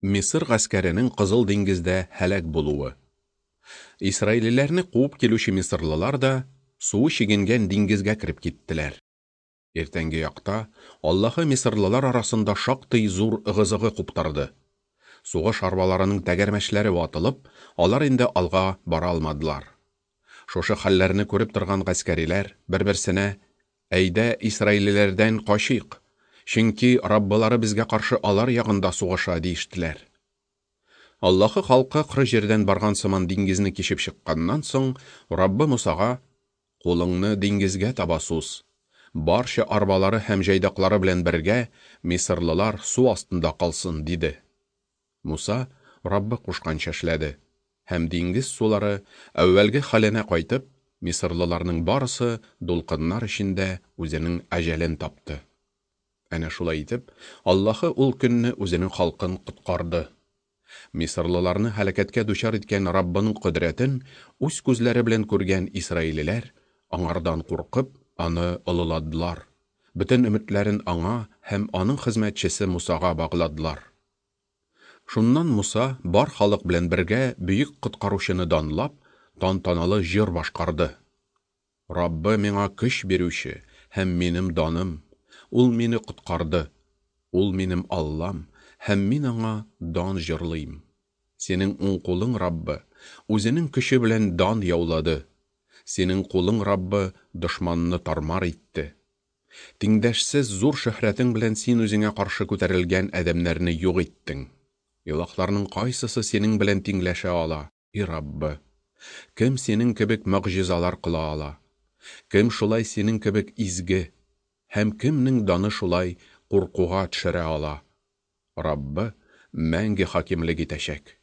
Мисыр гаскәренең Кызыл диңгездә һәлак булуы. Исраилиләрне куып килүче мисырлылар да суы чигенгән диңгезгә кереп киттеләр. Иртәнге якта Аллаһы мисырлылар арасында шактый зур ыгы-зыгы куптарды. Сугыш арбаларының тәгәрмәчләре ватылып, алар инде алга бара алмадылар. Шушы хәлләрне күреп торган гаскәриләр бер-берсенә: Әйдә, исраилиләрдән качыйк, чөнки Раббылары безгә каршы алар ягында сугыша, диештеләр. Аллаһы халкы коры җирдән барган сыман диңгезне кичеп чыкканнан соң, Раббы Мусага: Кулыңны диңгезгә таба суз. Барча арбалары һәм җайдаклары белән бергә мисырлылар су астында калсын, диде. Муса Раббы кушканча эшләде, һәм диңгез сулары әүвәлге хәленә кайтып, мисырлыларның барысы дулкыннар эчендә үзенең әҗәлен тапты. Әнә шулай итеп, Аллаһы ул көнне үзенең халкын коткарды. Мисырлыларны һәлакәткә дучар иткән Раббының кодрәтен үз күзләре белән күргән исраилиләр, аңардан куркып, аны олыладылар, бөтен өметләрен аңа һәм аның хезмәтчесе Мусага багладылар. Шуннан Муса бар халык белән бергә бөек Коткаручыны данлап, тантаналы җыр башкарды. Раббы миңа көч бирүче һәм минем даным, Ул мине коткарды. Ул минем Аллам, һәм мин аңа дан җырлыйм. Синең уң кулың, Раббы, үзенең көче белән дан яулады. Синең кулың, Раббы, дошманны тармар итте. Тиңдәшсез зур шөһрәтең белән син үзеңә каршы күтәрелгән адәмнәрне юк иттең. Илаһларның кайсысы синең белән тиңләшә ала, и Раббы? Кем синең кебек могҗизалар кыла ала? Кем шулай синең кебек изге? Һәм кемнең даны шулай куркуга төшерә ала? Раббы мәңге хакимлек итәчәк.